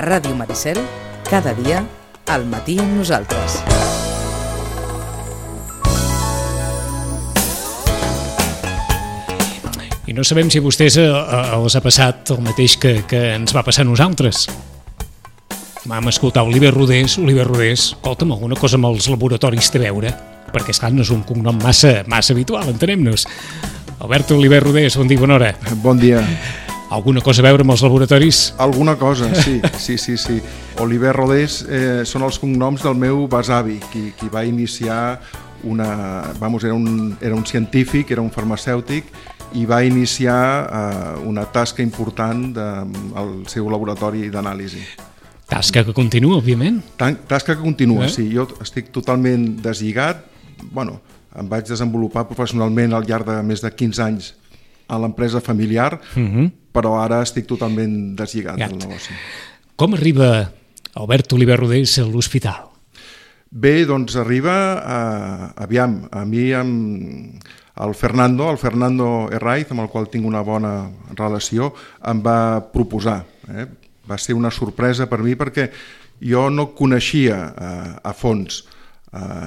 Ràdio Maricel, cada dia, al matí amb nosaltres. I no sabem si a vostès els ha passat el mateix que ens va passar a nosaltres. Vam escoltar Oliver Rodés, escolta'm, alguna cosa amb els laboratoris té a veure, perquè esclar, no és un cognom massa habitual, entenem-nos. Alberto Oliver Rodés, bon dia, bona hora. Bon dia. Alguna cosa a veure amb els laboratoris? Alguna cosa, sí. Oliver Rodés són els cognoms del meu besavi, qui va iniciar era un científic, era un farmacèutic, i va iniciar una tasca important al seu laboratori d'anàlisi. Tasca que continua, òbviament. Tasca que continua, sí. Jo estic totalment deslligat. Em vaig desenvolupar professionalment al llarg de més de 15 anys a l'empresa familiar, però ara estic totalment deslligat del negoci. Com arriba Albert Oliver Rodés a l'hospital? Bé, doncs arriba, a mi el Fernando Herraiz, amb el qual tinc una bona relació, em va proposar. Va ser una sorpresa per mi perquè jo no coneixia a fons,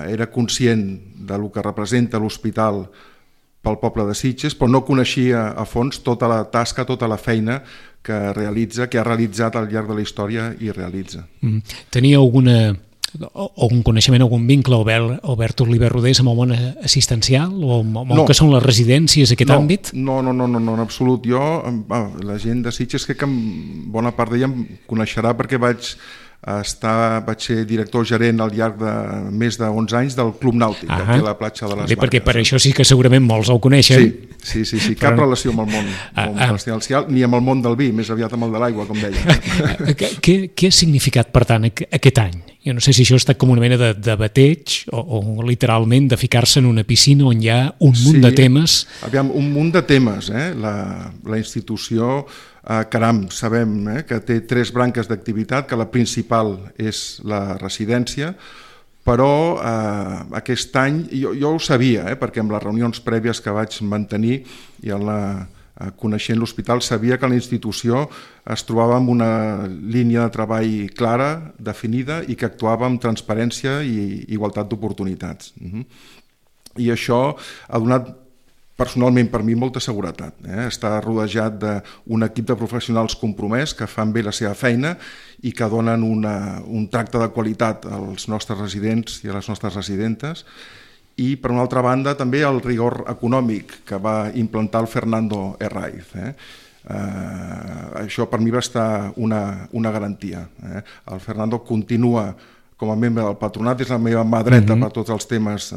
era conscient del que representa l'hospital pel poble de Sitges, però no coneixia a fons tota la tasca, tota la feina que ha realitzat al llarg de la història i realitza. Tenia algun coneixement, algun vincle, Albert Oliver Rodés, amb el món assistencial o amb el que són les residències, aquest àmbit? No, en absolut. La gent de Sitges, crec que bona part d'ella em coneixerà perquè vaig ser director gerent al llarg de més de 11 anys del Club Nàutic, aquí a la platja de les Barques. Perquè per això sí que segurament molts el coneixen. Sí. Cap relació amb el món residencial, ni amb el món del vi, més aviat amb el de l'aigua, com deia. Què ha significat, per tant, aquest any? Jo no sé si això ha estat com una mena de bateig o literalment de ficar-se en una piscina on hi ha un munt de temes. Aviam, un munt de temes. La institució, caram, sabem que té 3 branques d'activitat, que la principal és la residència, però aquest any, jo ho sabia, perquè amb les reunions prèvies que vaig mantenir i coneixent l'hospital, sabia que la institució es trobava en una línia de treball clara, definida, i que actuava amb transparència i igualtat d'oportunitats. I això ha donat personalment per mi molta seguretat. Està rodejat d'un equip de professionals compromès que fan bé la seva feina i que donen un tracte de qualitat als nostres residents i a les nostres residentes, i per una altra banda també el rigor econòmic que va implantar el Fernando Herraiz. Això per mi va estar una garantia. El Fernando continua com a membre del patronat, és la meva mà dreta per tots els temes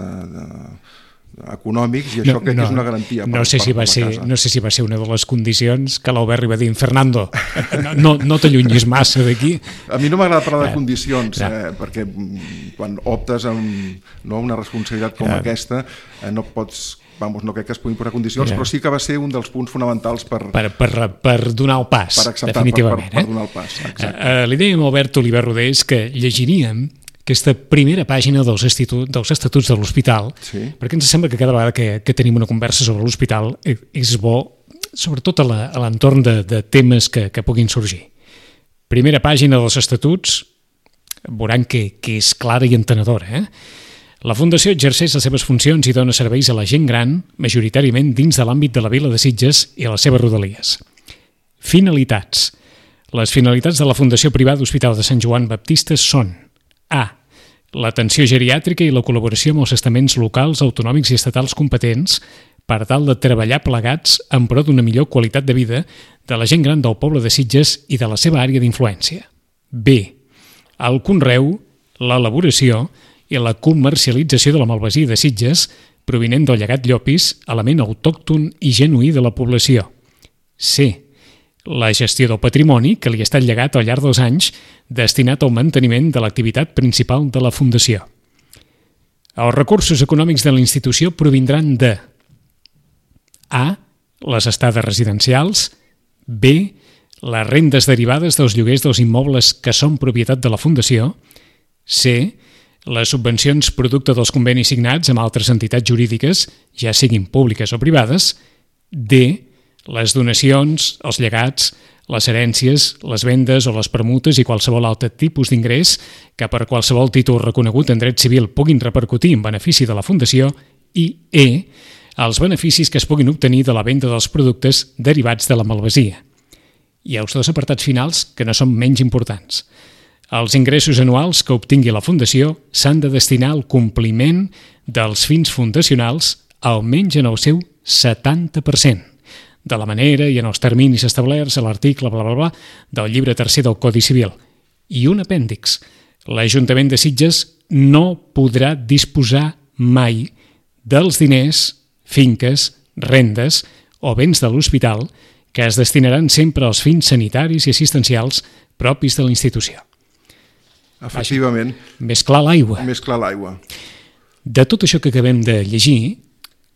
econòmics, i això crec que és una garantia. No sé si va ser una de les condicions que l'Albert li va dir: Fernando, no t'allunyis massa d'aquí. A mi no m'agrada parlar de condicions, perquè quan optes a una responsabilitat com aquesta no pots, no crec que es puguin posar condicions, però sí que va ser un dels punts fonamentals per donar el pas, definitivament. Per donar el pas, exacte. Li dèiem a Albert Oliver Rodés que llegiríem aquesta primera pàgina dels estatuts de l'hospital, perquè ens sembla que cada vegada que tenim una conversa sobre l'hospital és bo, sobretot a l'entorn de temes que puguin sorgir. Primera pàgina dels estatuts, veuran que és clara i entenedora. La Fundació exerceix les seves funcions i dona serveis a la gent gran, majoritàriament dins de l'àmbit de la vila de Sitges i a les seves rodalies. Finalitats. Les finalitats de la Fundació Privada Hospital de Sant Joan Baptista són: A. L'atenció geriàtrica i la col·laboració amb els estaments locals, autonòmics i estatals competents per tal de treballar plegats en pro d'una millor qualitat de vida de la gent gran del poble de Sitges i de la seva àrea d'influència. B. El conreu, l'elaboració i la comercialització de la malvasia de Sitges provinent del llegat llopis, element autòcton i genuí de la població. C. La gestió del patrimoni que li ha estat llegat al llarg dels anys destinat al manteniment de l'activitat principal de la Fundació. Els recursos econòmics de la institució provindran de: A. Les estades residencials. B. Les rendes derivades dels lloguers dels immobles que són propietat de la Fundació. C. Les subvencions producte dels convenis signats amb altres entitats jurídiques, ja siguin públiques o privades. D. Les donacions, els llegats, les herències, les vendes o les permutes i qualsevol altre tipus d'ingrés que per qualsevol títol reconegut en dret civil puguin repercutir en benefici de la Fundació, i els beneficis que es puguin obtenir de la venda dels productes derivats de la malvasia. I els dos apartats finals que no són menys importants. Els ingressos anuals que obtingui la Fundació s'han de destinar al compliment dels fins fundacionals almenys en el seu 70%, de la manera i en els terminis establerts a l'article del llibre tercer del Codi Civil. I un apèndix. L'Ajuntament de Sitges no podrà disposar mai dels diners, finques, rendes o béns de l'hospital que es destinaran sempre als fins sanitaris i assistencials propis de la institució. Efectivament. Més clar l'aigua. Més clar l'aigua. De tot això que acabem de llegir,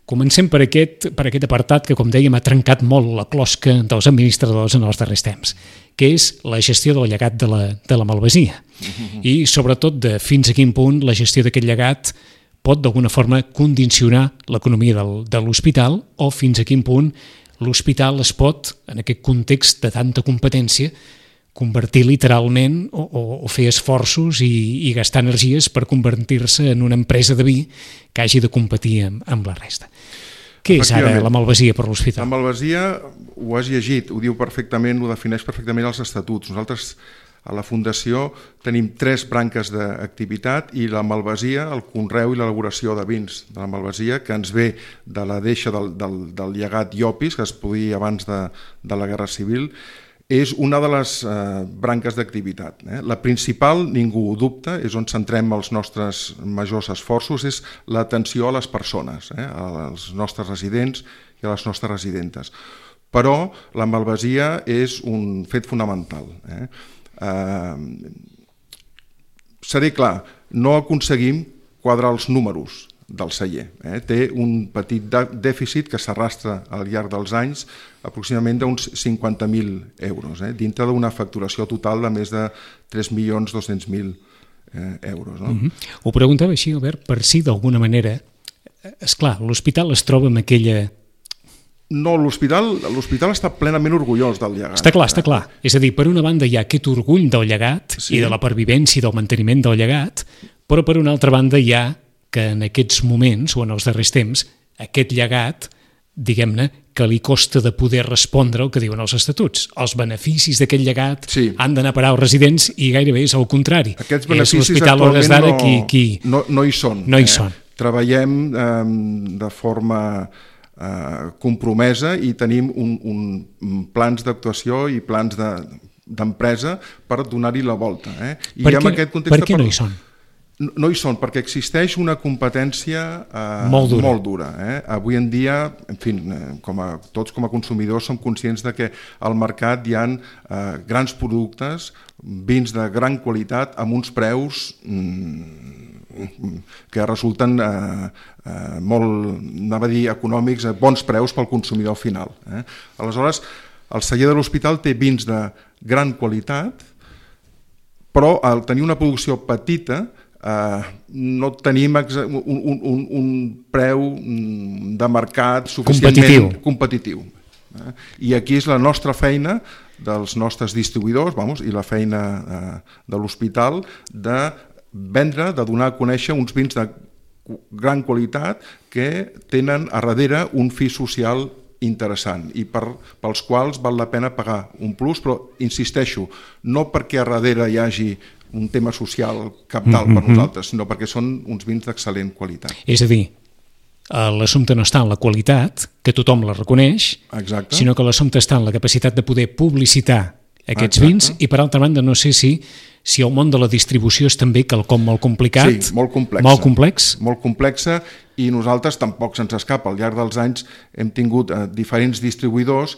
comencem per aquest apartat que, com dèiem, ha trencat molt la closca dels administradors en els darrers temps, que és la gestió del llegat de la malvasia. I, sobretot, de fins a quin punt la gestió d'aquest llegat pot, d'alguna forma, condicionar l'economia de l'hospital o fins a quin punt l'hospital es pot, en aquest context de tanta competència, convertir literalment o fer esforços i gastar energies per convertir-se en una empresa de vi que hagi de competir amb la resta. Què és ara la malvasia per l'hospital? La malvasia, ho has llegit, ho diu perfectament, ho defineix perfectament els estatuts. Nosaltres a la Fundació tenim 3 branques d'activitat i la malvasia, el conreu i l'elaboració de vins de la malvasia, que ens ve de la deixa del llegat Llopis, que es podia abans de la Guerra Civil, és una de les branques d'activitat. La principal, ningú ho dubta, és on centrem els nostres majors esforços, és l'atenció a les persones, als nostres residents i a les nostres residentes. Però la malvasia és un fet fonamental. Seré clar, no aconseguim quadrar els números del celler. Té un petit dèficit que s'arrastra al llarg dels anys, aproximadament d'uns 50.000 euros, dintre d'una facturació total de més de 3.200.000 euros. Ho preguntava així, Albert, per si d'alguna manera, esclar, l'hospital es troba en aquella... No, l'hospital està plenament orgullós del llegat. Està clar. És a dir, per una banda hi ha aquest orgull del llegat i de la pervivència i del manteniment del llegat, però per una altra banda hi ha que en aquests moments, o en els darrers temps, aquest llegat, diguem-ne, que li costa de poder respondre el que diuen els estatuts. Els beneficis d'aquest llegat han d'anar a parar als residents i gairebé és el contrari. Aquests beneficis actualment no hi són. No hi són. Treballem de forma compromesa i tenim plans d'actuació i plans d'empresa per donar-hi la volta. Per què no hi són? No hi són, perquè existeix una competència molt dura. Avui en dia, en fi, tots com a consumidors som conscients de que al mercat hi ha grans productes, vins de gran qualitat, amb uns preus que resulten molt, anava a dir, econòmics, bons preus pel consumidor final. Aleshores, el celler de l'hospital té vins de gran qualitat, però al tenir una producció petita no tenim un preu de mercat suficientment competitiu. I aquí és la nostra feina dels nostres distribuïdors i la feina de l'hospital de vendre, de donar a conèixer uns vins de gran qualitat que tenen a darrere un fi social interessant i pels quals val la pena pagar un plus, però insisteixo, no perquè a darrere hi hagi un tema social cabdal per nosaltres, sinó perquè són uns vins d'excel·lent qualitat. És a dir, l'assumpte no està en la qualitat, que tothom la reconeix, sinó que l'assumpte està en la capacitat de poder publicitar aquests vins i, per altra banda, no sé si el món de la distribució és també quelcom molt complicat. Sí, molt complex. Molt complexa i nosaltres tampoc se'ns escapa. Al llarg dels anys hem tingut diferents distribuïdors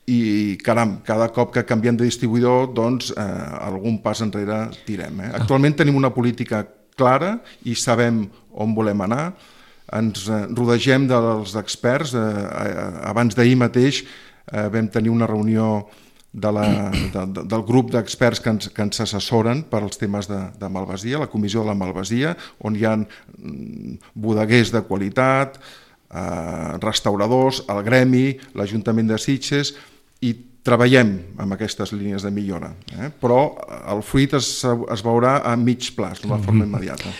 i, caram, cada cop que canviem de distribuïdor, doncs, algun pas enrere tirem. Actualment tenim una política clara i sabem on volem anar. Ens rodegem dels experts. Abans d'ahir mateix vam tenir una reunió del grup d'experts que ens assessoren per als temes de malvasia, la comissió de la malvasia, on hi ha bodeguers de qualitat, restauradors, el gremi, l'Ajuntament de Sitges, i treballem amb aquestes línies de millora, però el fruit es veurà a mig plaç, d'una forma immediata.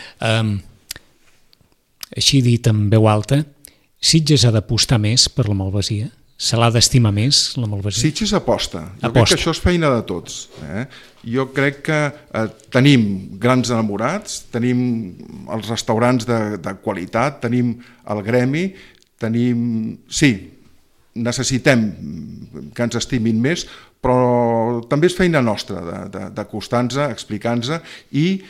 Així dit en veu alta, Sitges ha d'apostar més per la malvasia? Se l'ha d'estimar més, la malvasia? Sitges aposta. Jo crec que això és feina de tots. Jo crec que tenim grans enamorats, tenim els restaurants de qualitat, tenim el gremi, sí, necessitem que ens estimin més, però també és feina nostra d'acostar-nos, explicar-nos, i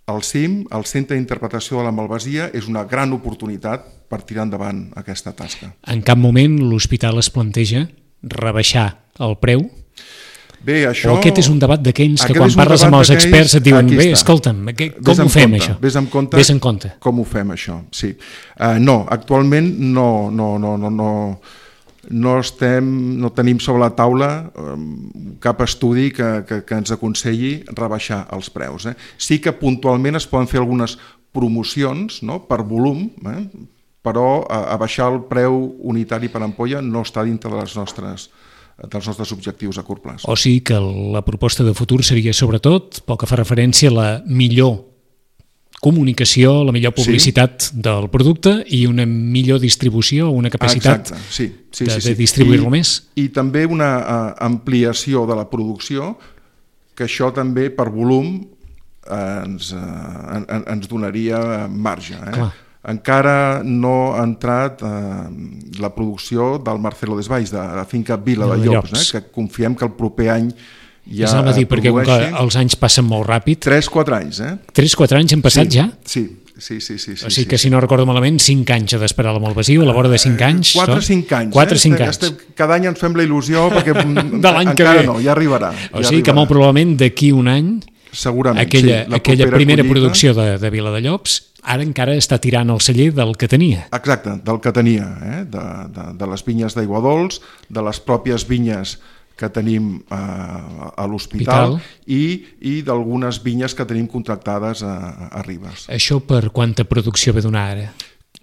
el CIM, el Centre d'Interpretació de la Malvasia, és una gran oportunitat per tirar endavant aquesta tasca. En cap moment l'hospital es planteja rebaixar el preu? Bé, això... O aquest és un debat d'aquells que quan parles amb els experts et diuen bé, escolta'm, com ho fem això? Vés en compte com ho fem això, sí. No, actualment no tenim sobre la taula cap estudi que ens aconselli rebaixar els preus. Sí que puntualment es poden fer algunes promocions per volum, però abaixar el preu unitari per ampolla no està dintre dels nostres objectius a curt plaç. O sigui que la proposta de futur seria sobretot pel que fa referència a la millor comunicació, la millor publicitat del producte i una millor distribució, una capacitat de distribuir-lo més. I també una ampliació de la producció, que això també per volum ens donaria marge. Encara no ha entrat la producció del Marcelo Desvalls, de la finca Vila de Llops, que confiem que el proper any ja produeixi. Perquè els anys passen molt ràpid. 3-4 anys. 3-4 anys han passat ja? Sí. O sigui que, si no recordo malament, 5 anys ha d'esperar la malvasia, a la vora de 5 anys? 4-5 anys. 4-5 anys. Cada any ens fem la il·lusió, perquè encara no, ja arribarà. O sigui que molt probablement d'aquí un any aquella primera producció de Vila de Llops ara encara està tirant el celler del que tenia. Exacte, del que tenia, de les vinyes d'Aigua Dols, de les pròpies vinyes que tenim a l'hospital i d'algunes vinyes que tenim contractades a Ribes. Això per quanta producció ve donar ara?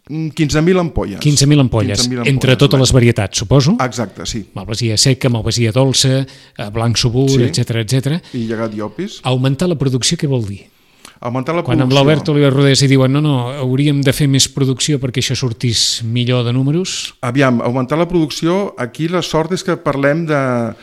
15.000 ampolles. 15.000 ampolles, entre totes les varietats, suposo? Exacte, sí. Malvasia seca, malvasia dolça, blanc subur, etc. I llegat llopis. Augmentar la producció què vol dir? Augmentar la Quan producció... amb l'Albert Oliver Rodés hi diuen no, hauríem de fer més producció perquè això sortís millor de números? Aviam, augmentar la producció, aquí la sort és que parlem de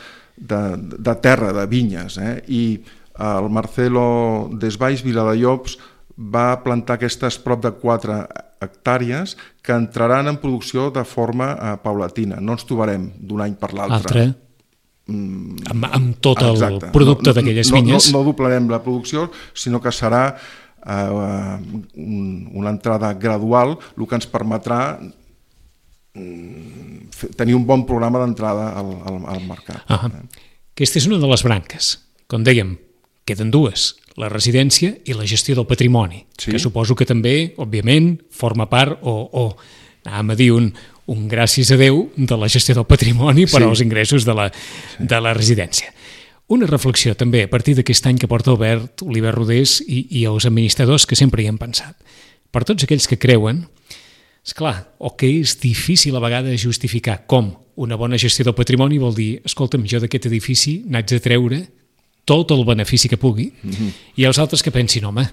terra, de vinyes, i el Marcelo Desvalls, Vila de Llops, va plantar aquestes prop de 4 hectàrees que entraran en producció de forma paulatina. No ens trobarem d'un any per l'altre. Amb tot el producte d'aquelles vinyes. No doblarem la producció, sinó que serà una entrada gradual, el que ens permetrà tenir un bon programa d'entrada al mercat. Aquesta és una de les branques. Com dèiem, queden dues, la residència i la gestió del patrimoni, que suposo que també, òbviament, forma part anàvem a dir un gràcies a Déu de la gestió del patrimoni per als ingressos de la residència. Una reflexió també a partir d'aquest any que porta Albert Oliver Rodés i els administradors que sempre hi han pensat. Per tots aquells que creuen, esclar, o que és difícil a vegades justificar com una bona gestió del patrimoni vol dir, escolta'm, jo d'aquest edifici n'haig de treure tot el benefici que pugui, i els altres que pensin, home,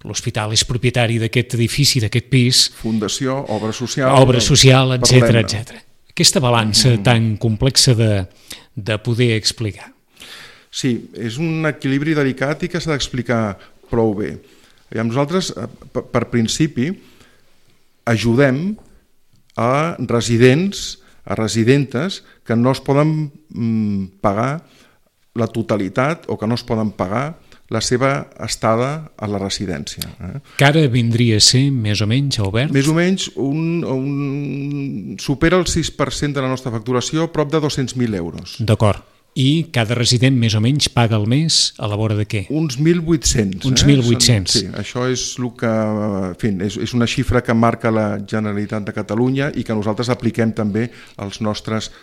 l'hospital és propietari d'aquest edifici, d'aquest pis... Fundació, obra social, etc. Aquesta balança tan complexa de poder explicar. Sí, és un equilibri delicat i que s'ha d'explicar prou bé. Nosaltres, per principi, ajudem a residents, a residentes que no es poden pagar la totalitat o que no es poden pagar la seva estada a la residència. Que ara vindria a ser, més o menys, Albert? Més o menys, supera el 6% de la nostra facturació, prop de 200.000 euros. D'acord. I cada resident més o menys paga al mes a la vora de què? Uns 1.800. Uns 1.800. Sí, això és el que, en fi, és una xifra que marca la Generalitat de Catalunya i que nosaltres apliquem també als nostres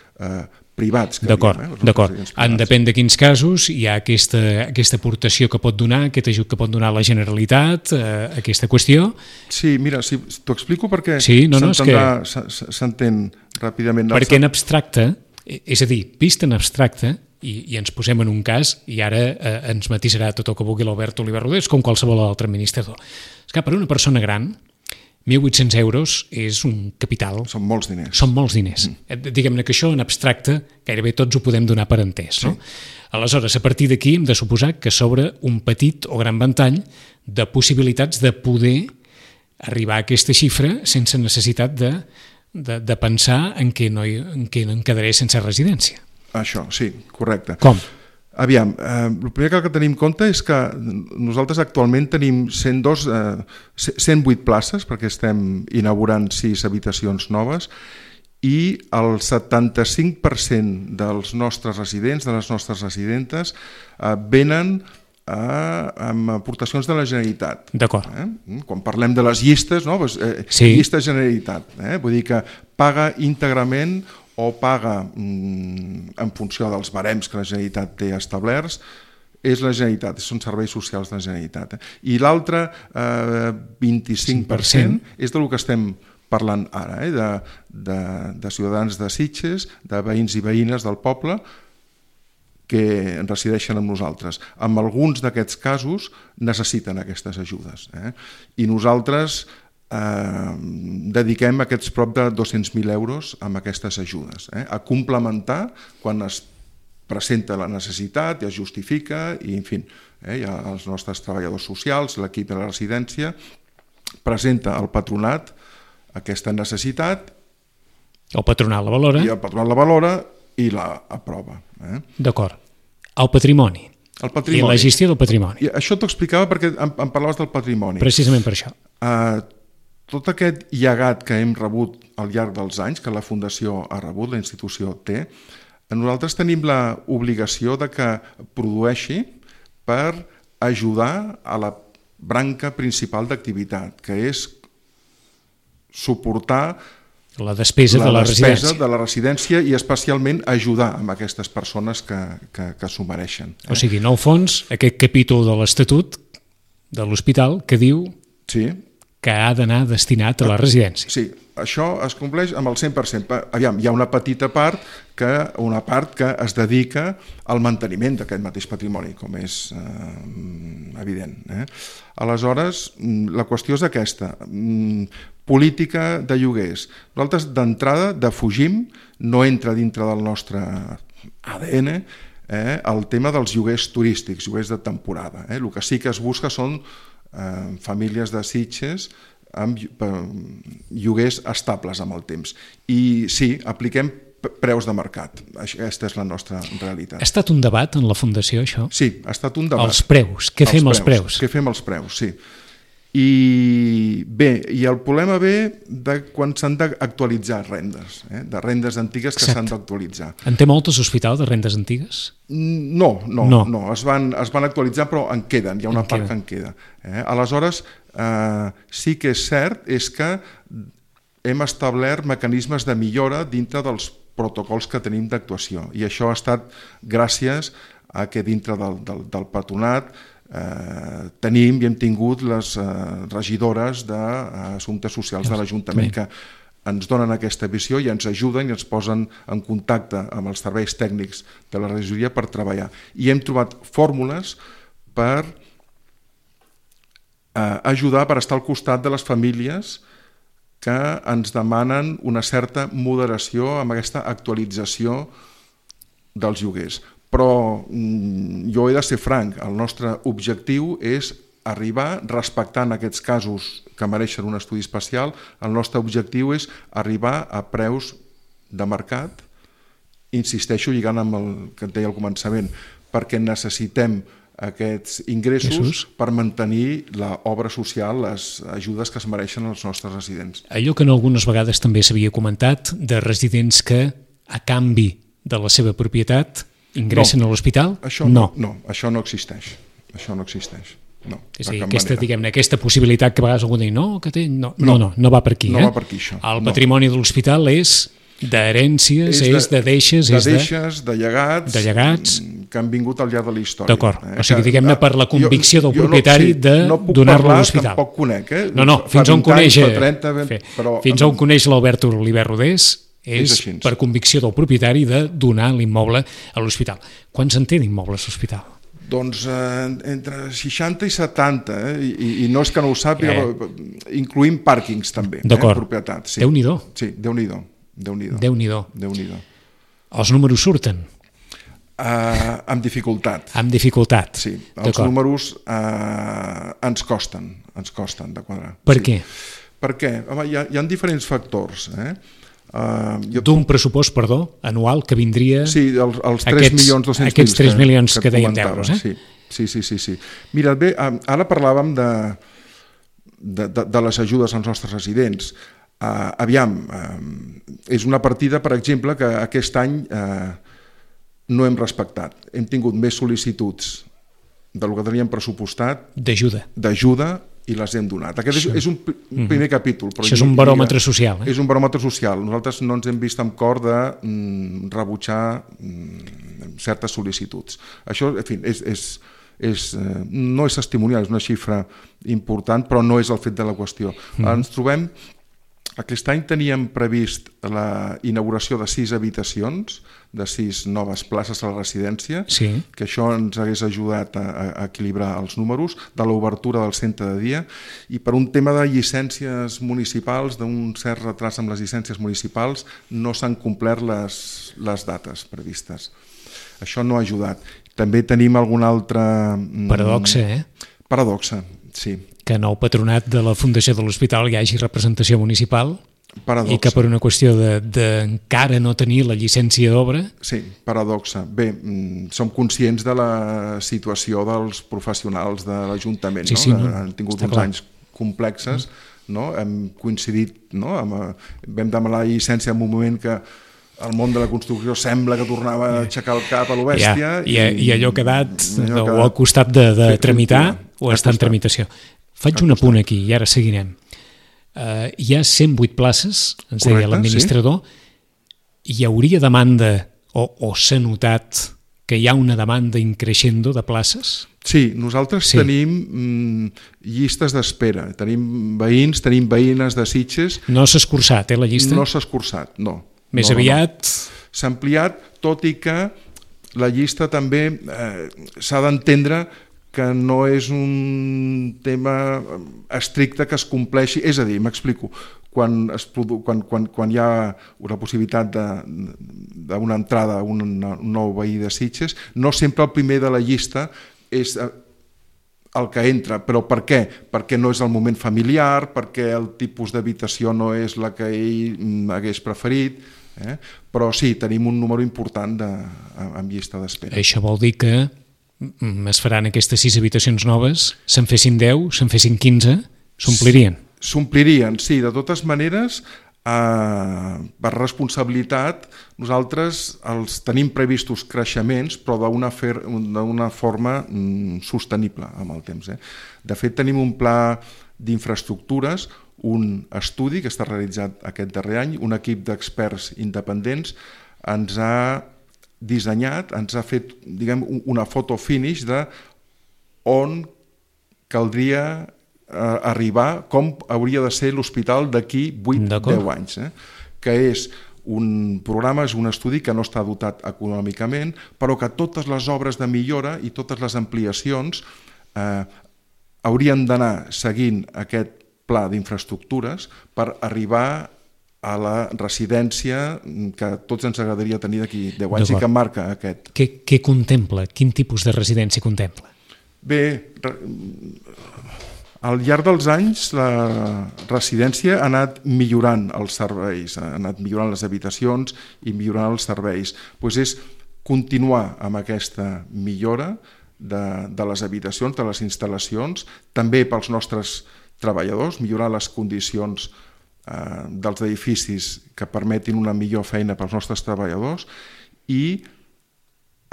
privats. D'acord. En depèn de quins casos hi ha aquesta aportació que pot donar, aquest ajut que pot donar la Generalitat, aquesta qüestió. Sí, mira, t'ho explico perquè s'entén ràpidament. Perquè en abstracte És a dir, vist en abstracte, i ens posem en un cas, i ara ens matisarà tot el que vulgui l'Albert Oliver Rodés, com qualsevol altre administrador. És que per una persona gran, 1.800 euros és un capital. Són molts diners. Són molts diners. Diguem-ne que això en abstracte gairebé tots ho podem donar per entès. No? Aleshores, a partir d'aquí hem de suposar que s'obre un petit o gran ventall de possibilitats de poder arribar a aquesta xifra sense necessitat de pensar en què em quedaré sense residència. Això, sí, correcte. Com? Aviam, el primer que tenim en compte és que nosaltres actualment tenim 108 places, perquè estem inaugurant 6 habitacions noves, i el 75% dels nostres residents, de les nostres residentes, venen amb aportacions de la Generalitat. D'acord. Quan parlem de les llistes, no? Sí. Llista Generalitat, vull dir que paga íntegrament o paga en funció dels barems que la Generalitat té establerts, és la Generalitat, són serveis socials de la Generalitat. I l'altre 25% és del que estem parlant ara, de ciutadans de Sitges, de veïns i veïnes del poble que resideixen amb nosaltres. En alguns d'aquests casos necessiten aquestes ajudes. I nosaltres dediquem aquests prop de 200.000 euros amb aquestes ajudes, a complementar quan es presenta la necessitat i es justifica, i en fi, els nostres treballadors socials, l'equip de la residència, presenta al patronat aquesta necessitat. El patronat la valora. I el patronat la valora i la aprova. D'acord. El patrimoni. El patrimoni. I la gestió del patrimoni. I això t'ho explicava perquè em parlaves del patrimoni. Precisament per això. Tot aquest llegat que hem rebut al llarg dels anys, que la Fundació ha rebut, la institució té, nosaltres tenim l'obligació de que produeixi per ajudar a la branca principal d'activitat, que és suportar la despesa de la residència i especialment ajudar amb aquestes persones que s'ho mereixen. O sigui, en el fons, aquest capítol de l'Estatut de l'Hospital que diu que ha d'anar destinat a la residència. Sí, això es compleix amb el 100%. Aviam, hi ha una petita part que es dedica al manteniment d'aquest mateix patrimoni, com és evident. Aleshores, la qüestió és aquesta. Política de lloguers. Nosaltres, d'entrada, defugim, no entra dintre del nostre ADN, el tema dels lloguers turístics, lloguers de temporada. El que sí que es busca són famílies de Sitges amb lloguers estables amb el temps. I sí, apliquem preus de mercat. Aquesta és la nostra realitat. Ha estat un debat en la Fundació, això? Sí, ha estat un debat. Els preus. Què fem els preus? Què fem els preus, sí. I bé, i el problema ve de quan s'han d'actualitzar rendes, de rendes antigues que s'han d'actualitzar. En té moltes hospitals de rendes antigues? No, es van actualitzar, però en queden, hi ha una part que en queda. Aleshores, sí que és cert és que hem establert mecanismes de millora dintre dels protocols que tenim d'actuació, i això ha estat gràcies a que dintre del patronat tenim i hem tingut les regidores d'Assumptes Socials de l'Ajuntament que ens donen aquesta visió i ens ajuden i ens posen en contacte amb els serveis tècnics de la regidoria per treballar. I hem trobat fórmules per ajudar, per estar al costat de les famílies que ens demanen una certa moderació amb aquesta actualització dels lloguers. Però jo he de ser franc, el nostre objectiu és arribar, respectant aquests casos que mereixen un estudi especial, el nostre objectiu és arribar a preus de mercat, insisteixo lligant amb el que et deia al començament, perquè necessitem aquests ingressos per mantenir l'obra social, les ajudes que es mereixen als nostres residents. Allò que algunes vegades també s'havia comentat, de residents que, a canvi de la seva propietat, ingressen a l'hospital? No, això no existeix. Això no existeix. No, és a dir, aquesta possibilitat que a vegades algú diu no va per aquí. No va per aquí, això. El patrimoni de l'hospital és d'herències, és de deixes, de llegats que han vingut al llarg de la història. D'acord, o sigui, diguem-ne per la convicció del propietari de donar-lo a l'hospital. Tampoc conec, fins on coneix l'Albert Oliver Rodés és per convicció del propietari de donar l'immoble a l'hospital. Quants en té d'immobles l'hospital? Doncs entre 60 i 70, i no és que no ho sàpiga, incloïm pàrquings també, propietat. Sí. Déu-n'hi-do. Sí, Déu-n'hi-do. Déu-n'hi-do. Els números surten? Amb dificultat. Amb dificultat. Sí, els números ens costen de quadrar. Per què? Perquè hi ha diferents factors. D'un pressupost, anual que vindria... Sí, els 3.200.000. Aquests 3 milions que deien d'euros. Sí. Mira, bé, ara parlàvem de les ajudes als nostres residents. Aviam, és una partida, per exemple, que aquest any no hem respectat. Hem tingut més sol·licituds del que teníem pressupostat d'ajuda i les hem donat. Aquest és un primer capítol. Això és un baròmetre social. És un baròmetre social. Nosaltres no ens hem vist amb cor de rebutjar certes sol·licituds. Això, en fi, no és testimonial, és una xifra important, però no és el fet de la qüestió. Ens trobem... Aquest any teníem previst la inauguració de 6 habitacions, de 6 noves places a la residència, que això ens hagués ajudat a equilibrar els números, de l'obertura del centre de dia, i per un tema de llicències municipals, d'un cert retras amb les llicències municipals, no s'han complert les dates previstes. Això no ha ajudat. També tenim algun altre... Paradoxa, Paradoxa, sí. Que en el patronat de la Fundació de l'Hospital hi hagi representació municipal i que per una qüestió d'encara no tenir la llicència d'obra... Sí, paradoxa. Bé, som conscients de la situació dels professionals de l'Ajuntament. Han tingut uns anys complexes, hem coincidit, vam demanar la llicència en un moment que el món de la construcció sembla que tornava a aixecar el cap a lo bèstia. I allò ha quedat o al costat de tramitar o està en tramitació. Faig un apunt aquí i ara seguirem. Hi ha 108 places, ens deia l'administrador, hi hauria demanda o s'ha notat que hi ha una demanda increixendo de places? Sí, nosaltres tenim llistes d'espera, tenim veïns, tenim veïnes de Sitges... No s'ha escurçat, la llista? No s'ha escurçat, no. Més aviat... S'ha ampliat, tot i que la llista també s'ha d'entendre que no és un tema estricte que es compleixi, és a dir, m'explico, quan hi ha una possibilitat d'una entrada a un nou veí de Sitges, no sempre el primer de la llista és el que entra, però per què? Perquè no és el moment familiar, perquè el tipus d'habitació no és la que ell hagués preferit, però sí, tenim un número important en llista d'espera. Això vol dir que es faran aquestes 6 habitacions noves, se'n fessin 10, se'n fessin 15, s'omplirien? S'omplirien, sí. De totes maneres, per responsabilitat, nosaltres els tenim previstos creixements, però d'una forma sostenible amb el temps. De fet, tenim un pla d'infraestructures, un estudi que està realitzat aquest darrer any, un equip d'experts independents ens ha dissenyat, ens ha fet, diguem, una foto finish de on caldria arribar, com hauria de ser l'hospital d'aquí 8-10 anys, que és un programa, és un estudi que no està dotat econòmicament, però que totes les obres de millora i totes les ampliacions haurien d'anar seguint aquest pla d'infraestructures per arribar a la residència que tots ens agradaria tenir d'aquí 10 anys i que marca aquest. Què contempla? Quin tipus de residència contempla? Bé, al llarg dels anys la residència ha anat millorant els serveis, ha anat millorant les habitacions i millorant els serveis. Doncs és continuar amb aquesta millora de les habitacions, de les instal·lacions, també pels nostres treballadors, millorar les condicions dels edificis que permetin una millor feina pels nostres treballadors i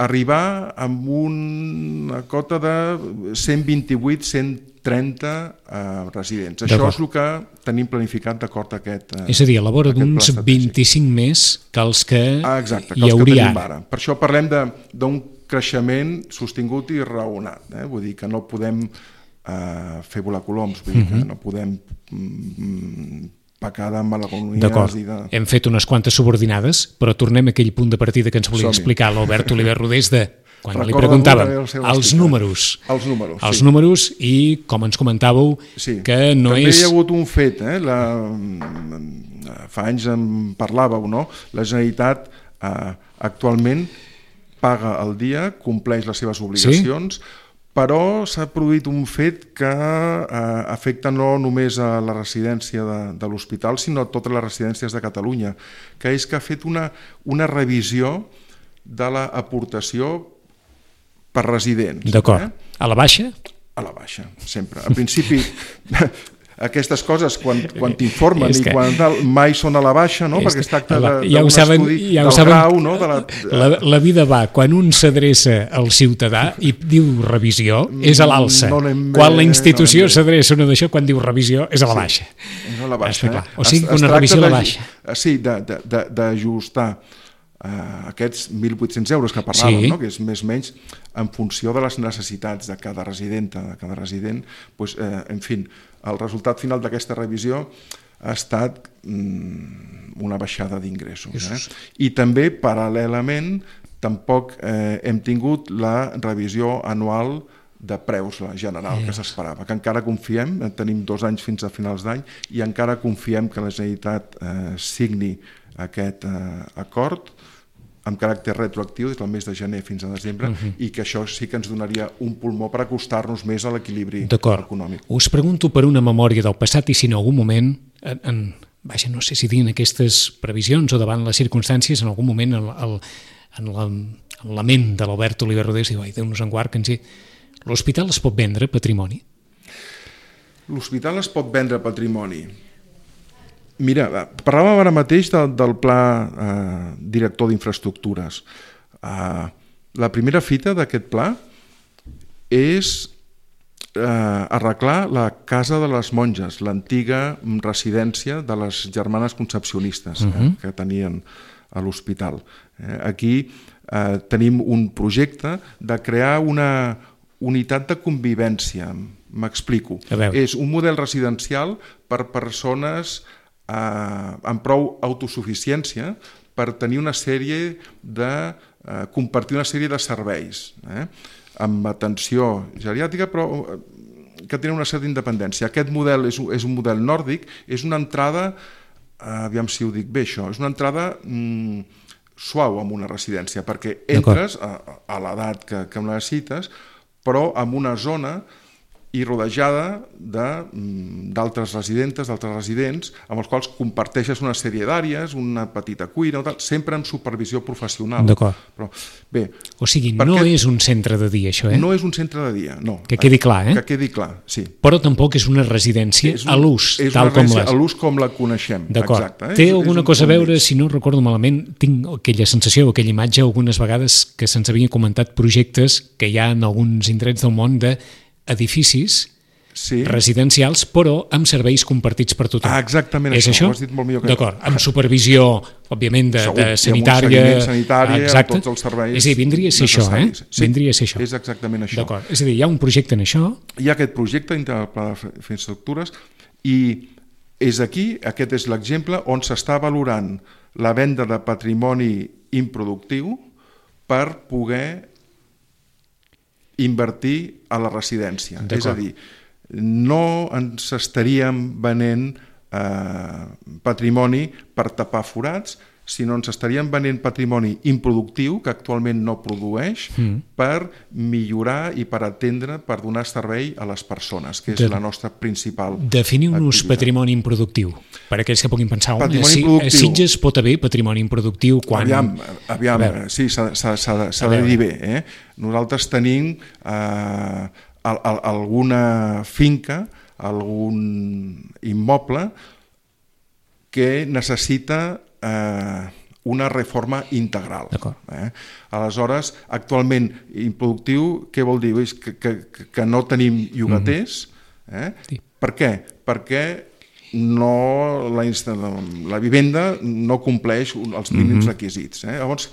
arribar amb una cota de 128-130 residents. Això és el que tenim planificat d'acord a aquest pla estratègic. És a dir, a la vora d'uns 25 més que els que hi hauria ara. Per això parlem d'un creixement sostingut i raonat. Vull dir que no podem fer volar coloms, vull dir que no podem pecada amb malagonies. D'acord, hem fet unes quantes subordinades, però tornem a aquell punt de partida que ens volia explicar l'Albert Oliver Rodés de quan li preguntàvem els números. Els números i, com ens comentàveu, que no també és... També hi ha hagut un fet, fa anys en parlàveu, no? La Generalitat actualment paga al dia, compleix les seves obligacions, però s'ha produït un fet que afecta no només a la residència de l'hospital, sinó a totes les residències de Catalunya, que és que ha fet una revisió de l'aportació per residents. D'acord. A la baixa? A la baixa, sempre. Al principi... Aquestes coses, quan t'informen i quan tal, mai són a la baixa, no? Perquè es tracta d'un estudi del grau, no? La vida va, quan un s'adreça al ciutadà i diu revisió, és a l'alça. Quan la institució s'adreça a una d'això, quan diu revisió, és a la baixa. És a la baixa. O sigui, una revisió a la baixa. Sí, d'ajustar aquests 1.800 euros que parlàvem, no? Que és més o menys en funció de les necessitats de cada residenta, de cada resident, en fi, el resultat final d'aquesta revisió ha estat una baixada d'ingressos. I també, paral·lelament, tampoc hem tingut la revisió anual de preus general que s'esperava, que encara confiem, tenim 2 anys fins a finals d'any, i encara confiem que la Generalitat signi aquest acord amb caràcter retroactiu des del mes de gener fins a desembre, i que això sí que ens donaria un pulmó per acostar-nos més a l'equilibri econòmic. Us pregunto per una memòria del passat i si en algun moment, no sé si dient aquestes previsions o davant les circumstàncies, en algun moment en la ment de l'Albert Oliver Rodés diu, Déu-nos en guard, que ens diu, l'hospital es pot vendre patrimoni? L'hospital es pot vendre patrimoni. Mira, parlàvem ara mateix del pla director d'infraestructures. La primera fita d'aquest pla és arreglar la Casa de les Monges, l'antiga residència de les germanes concepcionistes que tenien a l'hospital. Aquí tenim un projecte de crear una unitat de convivència. M'explico. És un model residencial per persones amb prou autosuficiència per tenir una sèrie de compartir una sèrie de serveis amb atenció geriàtrica, però que tenen una certa independència. Aquest model és un model nòrdic, és una entrada, aviam si ho dic bé això, és una entrada suau en una residència, perquè entres a l'edat que necessites, però en una zona i rodejada d'altres residentes, d'altres residents, amb els quals comparteixes una sèrie d'àrees, una petita cuina, sempre amb supervisió professional. D'acord. O sigui, no és un centre de dia, això, No és un centre de dia, no. Que quedi clar, Que quedi clar, sí. Però tampoc és una residència a l'ús, tal com a l'ús com la coneixem. D'acord. Té alguna cosa a veure, si no recordo malament, tinc aquella sensació, aquella imatge, algunes vegades que se'ns havien comentat projectes que hi ha en alguns indrets del món d'edificis residencials, però amb serveis compartits per tothom. Exactament això. Ho has dit molt millor que jo. D'acord, amb supervisió, òbviament, de sanitària. Amb un seguiment sanitari, amb tots els serveis. És a dir, vindria a ser això, Vindria a ser això. És exactament això. D'acord, és a dir, hi ha un projecte en això. Hi ha aquest projecte dintre del pla d'infraestructures i és aquí, aquest és l'exemple, on s'està valorant la venda de patrimoni improductiu per poder invertir a la residència. És a dir, no ens estaríem venent patrimoni per tapar forats, sinó ens estaríem venent patrimoni improductiu, que actualment no produeix, per millorar i per atendre, per donar servei a les persones, que és la nostra principal activitat. Definiu-nos patrimoni improductiu, per aquells que puguin pensar, a Sitges pot haver patrimoni improductiu quan... Aviam, sí, s'ha de dir bé. Nosaltres tenim alguna finca, algun immoble que necessita una reforma integral. Aleshores, actualment improductiu, què vol dir? Que no tenim llogaters. Per què? Perquè la vivenda no compleix els mínims requisits. Llavors,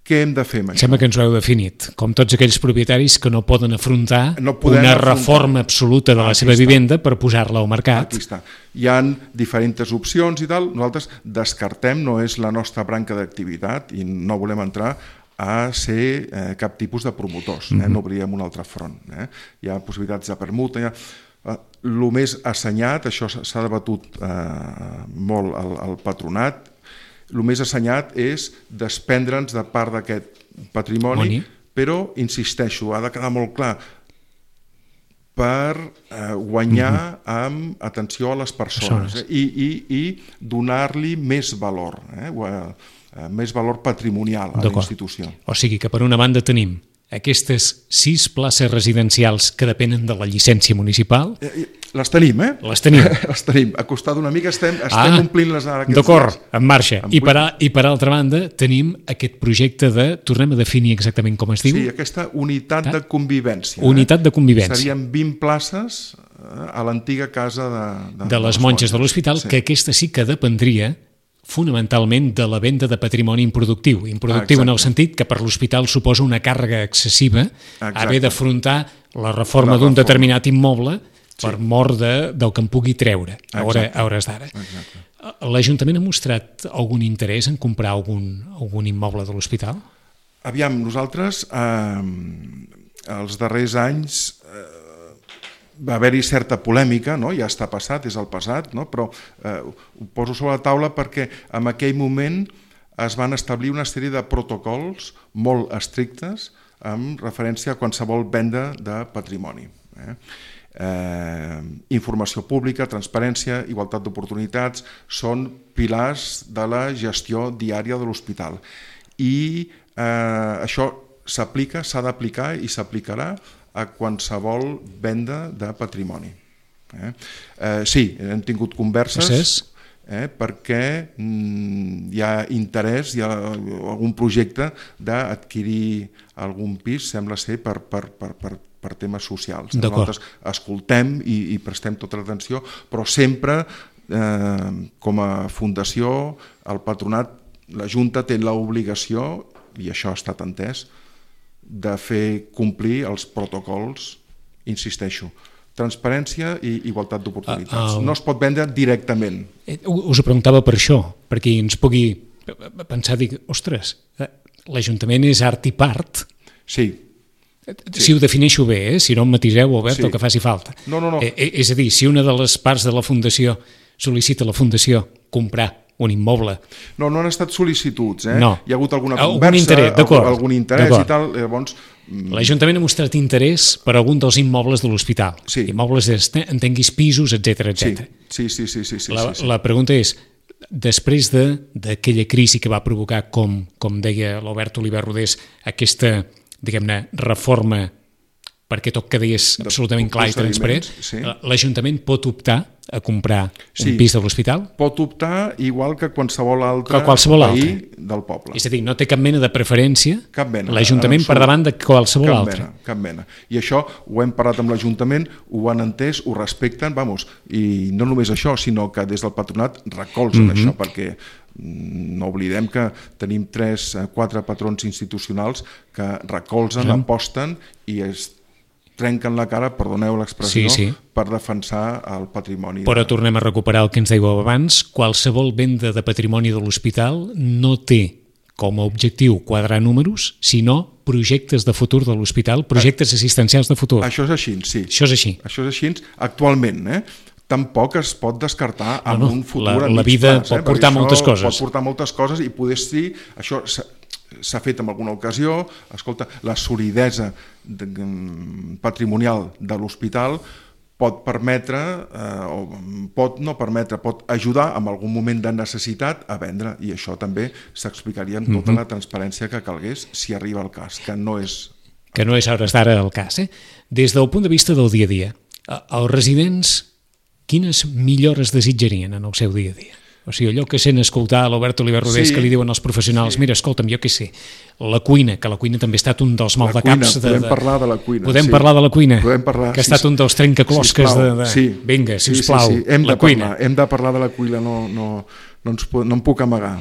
què hem de fer amb això? Sembla que ens ho heu definit, com tots aquells propietaris que no poden afrontar una reforma absoluta de la seva vivenda per posar-la al mercat. Aquí està. Hi ha diferents opcions i tal, nosaltres descartem, no és la nostra branca d'activitat i no volem entrar a ser cap tipus de promotors, no obríem un altre front. Hi ha possibilitats de permuta, el més assenyat, això s'ha debatut molt al patronat, el més assenyat és desprendre'ns de part d'aquest patrimoni, però, insisteixo, ha de quedar molt clar, per guanyar amb atenció a les persones i donar-li més valor, més valor patrimonial a la institució. O sigui que per una banda tenim aquestes 6 places residencials que depenen de la llicència municipal. Les tenim, Les tenim. Les tenim. A costar d'una mica estem omplint-les ara. D'acord, en marxa. I per altra banda tenim aquest projecte de, tornem a definir exactament com es diu? Sí, aquesta unitat de convivència. Unitat de convivència. Serien 20 places a l'antiga casa de les monges de l'hospital, que aquesta sí que dependria fonamentalment de la venda de patrimoni improductiu. Improductiu en el sentit que per l'hospital suposa una càrrega excessiva haver d'afrontar la reforma d'un determinat immoble per mort del que en pugui treure a hores d'ara. L'Ajuntament ha mostrat algun interès en comprar algun immoble de l'hospital? Aviam, nosaltres els darrers anys va haver-hi certa polèmica, ja està passat, és el passat, però ho poso sobre la taula perquè en aquell moment es van establir una sèrie de protocols molt estrictes amb referència a qualsevol venda de patrimoni. Informació pública, transparència, igualtat d'oportunitats, són pilars de la gestió diària de l'hospital. I això s'aplica, s'ha d'aplicar i s'aplicarà a qualsevol venda de patrimoni. Sí, hem tingut converses perquè hi ha interès, hi ha algun projecte d'adquirir algun pis, sembla ser, per temes socials. Nosaltres escoltem i prestem tota l'atenció, però sempre, com a fundació, el patronat, la Junta té l'obligació, i això ha estat entès, de fer complir els protocols, insisteixo, transparència i igualtat d'oportunitats. No es pot vendre directament. Us ho preguntava per això, perquè ens pugui pensar, dir, ostres, l'Ajuntament és art i part. Sí. Si ho defineixo bé, si no em matiseu, Albert, el que faci falta. No. És a dir, si una de les parts de la Fundació sol·licita a la Fundació comprar un immoble. No han estat sol·licituds, No. Hi ha hagut alguna conversa, algun interès i tal, llavors... L'Ajuntament ha mostrat interès per algun dels immobles de l'hospital. Sí. Immobles, entenguis, pisos, etc. Sí. La pregunta és, després d'aquella crisi que va provocar, com deia l'Albert Oliver Rodés, aquesta, diguem-ne, reforma perquè tot quedés absolutament clar i transparent, l'Ajuntament pot optar a comprar un pis de l'hospital? Pot optar igual que qualsevol altre veí del poble. És a dir, no té cap mena de preferència l'Ajuntament per davant de qualsevol altre. Cap mena. I això ho hem parlat amb l'Ajuntament, ho han entès, ho respecten, i no només això, sinó que des del patronat recolzen això, perquè no oblidem que tenim 3-4 patrons institucionals que recolzen, aposten i es trenquen la cara, perdoneu l'expressió, per defensar el patrimoni. Però tornem a recuperar el que ens dèieu abans, qualsevol venda de patrimoni de l'hospital no té com a objectiu quadrar números, sinó projectes de futur de l'hospital, projectes assistencials de futur. Això és així, sí. Això és així. Això és així actualment, tampoc es pot descartar en un futur a mig plaç. La vida pot portar moltes coses. Pot portar moltes coses i poder ser... Això s'ha fet en alguna ocasió, escolta, la solidesa patrimonial de l'hospital pot permetre, o pot no permetre, pot ajudar en algun moment de necessitat a vendre, i això també s'explicaria amb tota la transparència que calgués si arriba el cas, que no és a hores d'ara el cas. Des del punt de vista del dia a dia, els residents quines millores desitjarien en el seu dia a dia? O sigui, allò que sent escoltar a l'Albert Oliver Rodés que li diuen als professionals, mira, escolta'm, jo què sé, la cuina, que la cuina també ha estat un dels maldecaps. Podem parlar de la cuina. Podem parlar de la cuina, que ha estat un dels trencaclosques de... Vinga, sisplau, la cuina. Hem de parlar de la cuina, no em puc amagar.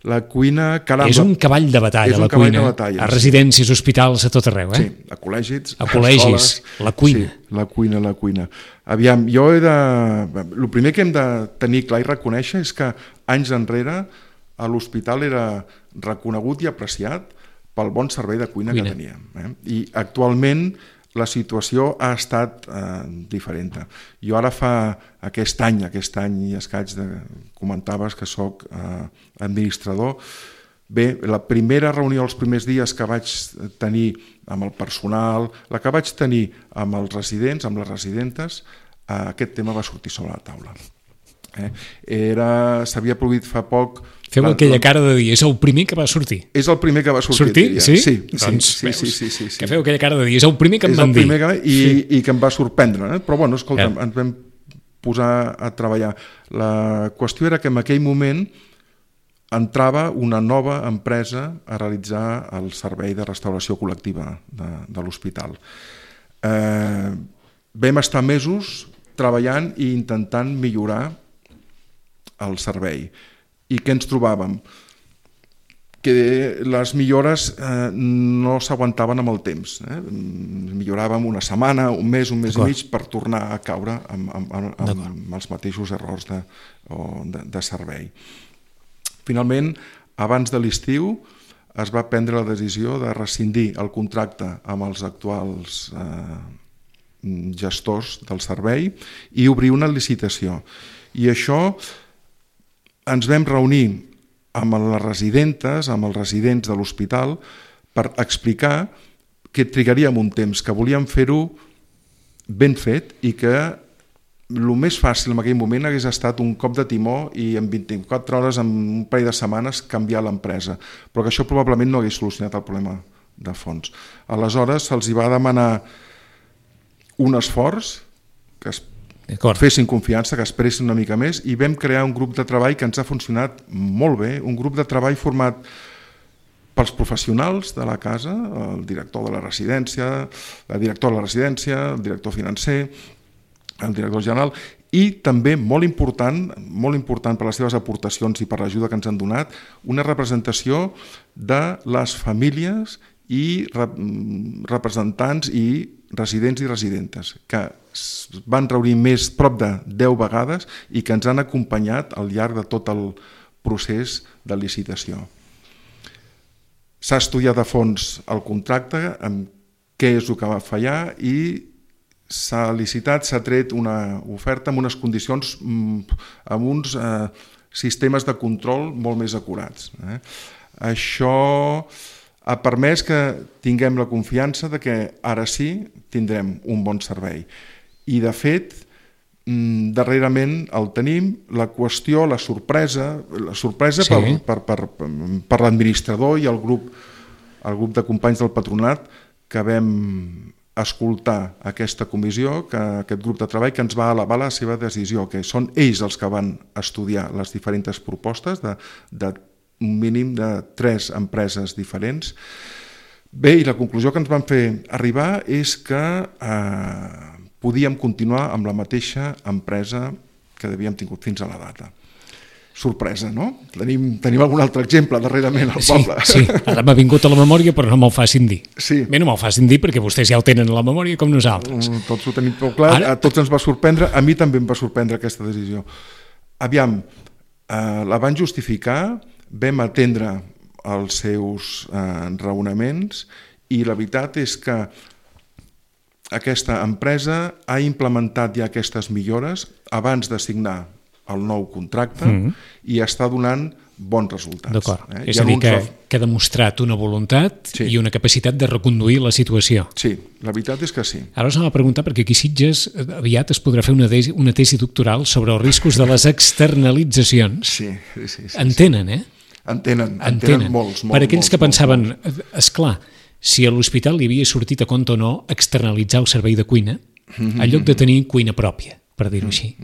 La cuina, caram... És un cavall de batalla, la cuina. A residències, hospitals, a tot arreu, Sí, a col·legis, a col·legis, la cuina. Sí, la cuina. Aviam, jo he de... El primer que hem de tenir clar i reconèixer és que anys enrere a l'hospital era reconegut i apreciat pel bon servei de cuina. Que teníem. I actualment la situació ha estat diferent. Jo ara fa aquest any i escaig, comentaves que sóc administrador. Bé, la primera reunió, els primers dies que vaig tenir amb el personal, la que vaig tenir amb els residents, amb les residentes, aquest tema va sortir sobre la taula. S'havia produït fa poc... Feu aquella cara de dir, és el primer que va sortir. És el primer que va sortir. Sortir? Sí? Sí. Sí. Que feu aquella cara de dir, és el primer que em van dir. I que em va sorprendre. Però bueno, escolta, ens vam posar a treballar. La qüestió era que en aquell moment entrava una nova empresa a realitzar el servei de restauració col·lectiva de l'hospital. Vam estar mesos treballant i intentant millorar el servei. I què ens trobàvem? Que les millores no s'aguantaven amb el temps. Milloràvem una setmana, un mes i mig per tornar a caure amb els mateixos errors de servei. Finalment, abans de l'estiu, es va prendre la decisió de rescindir el contracte amb els actuals gestors del servei i obrir una licitació. I això ens vam reunir amb les residentes, amb els residents de l'hospital, per explicar que trigaríem un temps, que volíem fer-ho ben fet i que el més fàcil en aquell moment hagués estat un cop de timó i en 24 hores, en un parell de setmanes, canviar l'empresa. Però que això probablement no hagués solucionat el problema de fons. Aleshores se'ls va demanar un esforç, que es fessin confiança, que esperessin una mica més, i vam crear un grup de treball que ens ha funcionat molt bé, un grup de treball format pels professionals de la casa, el director de la residència, la directora de la residència, el director financer, el director general, i també molt important per les seves aportacions i per l'ajuda que ens han donat, una representació de les famílies i representants i residents i residentes, que van reunir prop de 10 vegades i que ens han acompanyat al llarg de tot el procés de licitació. S'ha estudiat a fons el contracte, amb què és el que va fallar, i s'ha licitat, s'ha tret una oferta amb unes condicions, amb uns sistemes de control molt més acurats. Això ha permès que tinguem la confiança de que ara sí tindrem un bon servei. I de fet, darrerament el tenim. La qüestió, la sorpresa sí. per l'administrador i el grup de companys del patronat que vam escoltar aquesta comissió, aquest grup de treball que ens va elevar la seva decisió, que són ells els que van estudiar les diferents propostes de un mínim de 3 empreses diferents. Bé, i la conclusió que ens van fer arribar és que podíem continuar amb la mateixa empresa que havíem tingut fins a la data. Sorpresa, no? Tenim algun altre exemple darrerament al poble. Sí, ara m'ha vingut a la memòria, però no me'l facin dir. Sí. Bé, no me'l facin dir perquè vostès ja ho tenen a la memòria com nosaltres. Tots ho tenim prou clar, a tots ens va sorprendre, a mi també em va sorprendre aquesta decisió. Aviam, la van justificar, vam atendre els seus raonaments i la veritat és que aquesta empresa ha implementat ja aquestes millores abans de signar el nou contracte i està donant bons resultats. D'acord. És a dir, que ha demostrat una voluntat i una capacitat de reconduir la situació. Sí, la veritat és que sí. Ara us anava a preguntar, perquè aquí a Sitges aviat es podrà fer una tesi doctoral sobre els riscos de les externalitzacions. Sí. Entenen, Entenen molts. Per aquells que pensaven, esclar, si a l'hospital li havia sortit a compte o no externalitzar el servei de cuina, en lloc de tenir cuina pròpia. per dir-ho així.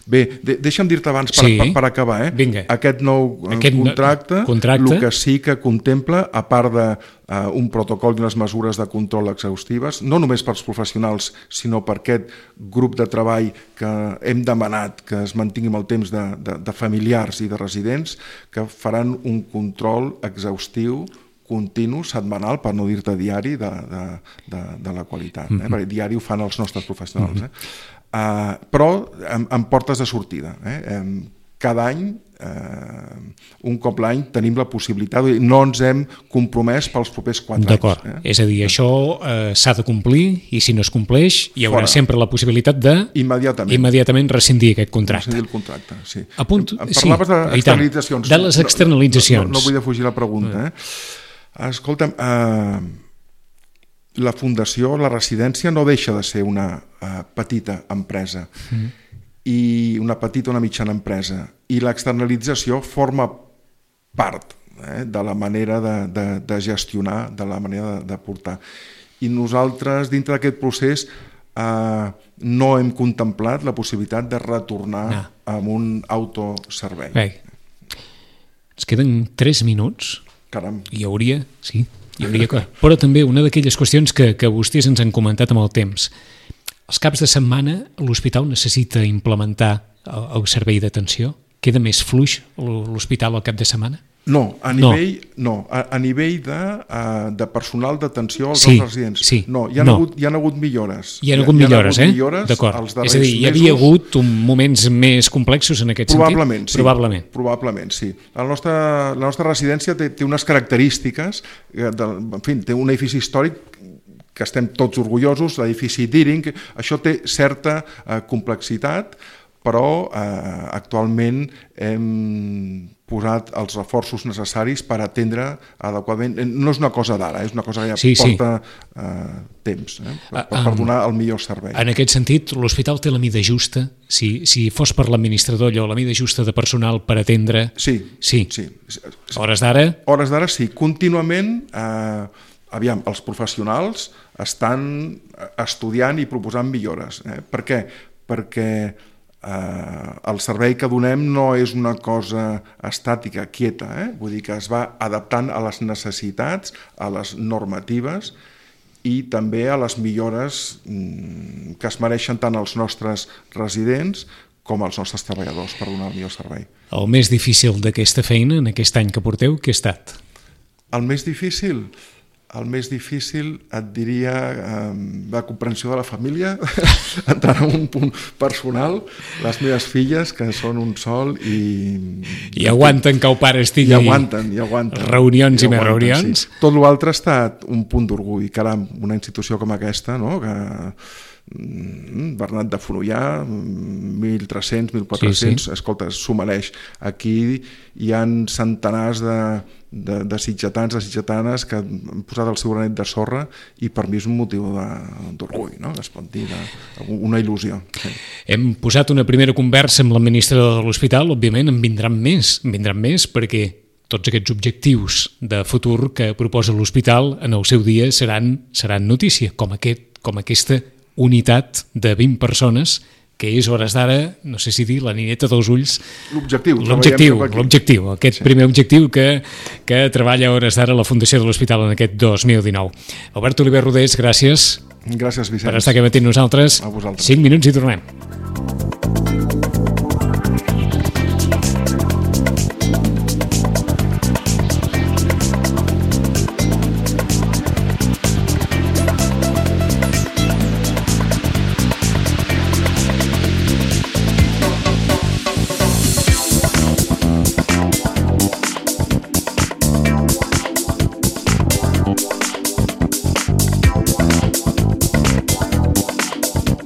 Bé, deixa'm dir-te abans per acabar, Vinga. Aquest nou contracte, el que sí que contempla, a part d'un protocol i unes mesures de control exhaustives, no només pels professionals, sinó per aquest grup de treball que hem demanat que es mantingui amb el temps de familiars i de residents, que faran un control exhaustiu continu, setmanal, per no dir-te diari, de la qualitat. Perquè diari ho fan els nostres professionals. Però amb portes de sortida. Cada any, un cop l'any, tenim la possibilitat, no ens hem compromès pels propers 4 anys. D'acord, és a dir, això s'ha de complir i si no es compleix hi haurà sempre la possibilitat de immediatament rescindir aquest contracte. Rescindir el contracte, sí. Parlaves d'externalitzacions. De les externalitzacions. No vull defugir la pregunta. Escolta'm, la fundació, la residència no deixa de ser una petita empresa i una petita o una mitjana empresa, i l'externalització forma part de la manera de gestionar, de la manera de portar. I nosaltres, dintre d'aquest procés, no hem contemplat la possibilitat de retornar amb un autoservei. Bé, ens queden 3 minuts. Caram. Hi hauria que... Però també una d'aquelles qüestions que vostès ens han comentat amb el temps. Els caps de setmana l'hospital necessita implementar el servei d'atenció? Queda més fluix l'hospital al cap de setmana? No, a nivell de personal d'atenció als nostres residents. No, hi ha hagut millores. Hi ha hagut millores, d'acord. És a dir, hi havia hagut moments més complexos en aquest sentit? Probablement, sí. La nostra residència té unes característiques, en fi, té un edifici històric que estem tots orgullosos, l'edifici Deering, això té certa complexitat, però actualment hem posat els reforços necessaris per atendre adequadament. No és una cosa d'ara, és una cosa que ja porta temps per donar el millor servei. En aquest sentit, l'hospital té la mida justa? Si fos per l'administrador allò, la mida justa de personal per atendre? Sí. Hores d'ara? Hores d'ara sí. Contínuament, aviam, els professionals estan estudiant i proposant millores. Per què? Perquè el servei que donem no és una cosa estàtica, quieta, vull dir que es va adaptant a les necessitats, a les normatives i també a les millores que es mereixen tant els nostres residents com els nostres treballadors per donar el millor servei. El més difícil d'aquesta feina, en aquest any que porteu, què ha estat? El més difícil et diria la comprensió de la família, entrant en un punt personal, les meves filles, que són un sol i aguanten que el pare estigui... I aguanten. Reunions i més reunions. Sí. Tot l'altre ha estat un punt d'orgull. Caram, una institució com aquesta, no?, que Bernat de Fonollà, 1.300, 1.400, escolta, s'ho mereix. Aquí hi ha centenars de sitgetans, de sitgetanes que han posat el seu granet de sorra i per mi és un motiu d'orgull, no? Es pot dir, una il·lusió. Sí. Hem posat una primera conversa amb l'administrador de l'hospital, òbviament en vindran més perquè tots aquests objectius de futur que proposa l'hospital en el seu dia seran notícia, com aquesta unitat de 20 persones que és, hores d'ara, no sé si dir, la nineta dels ulls. L'objectiu, aquest primer objectiu que treballa a hores d'ara la Fundació de l'Hospital en aquest 2019. Albert Oliver Rodés, gràcies. Gràcies, Vicenç. Per estar aquí matí amb nosaltres. A vosaltres. 5 minuts i tornem.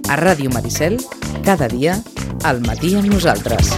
A Ràdio Maricel, cada dia, al matí amb nosaltres.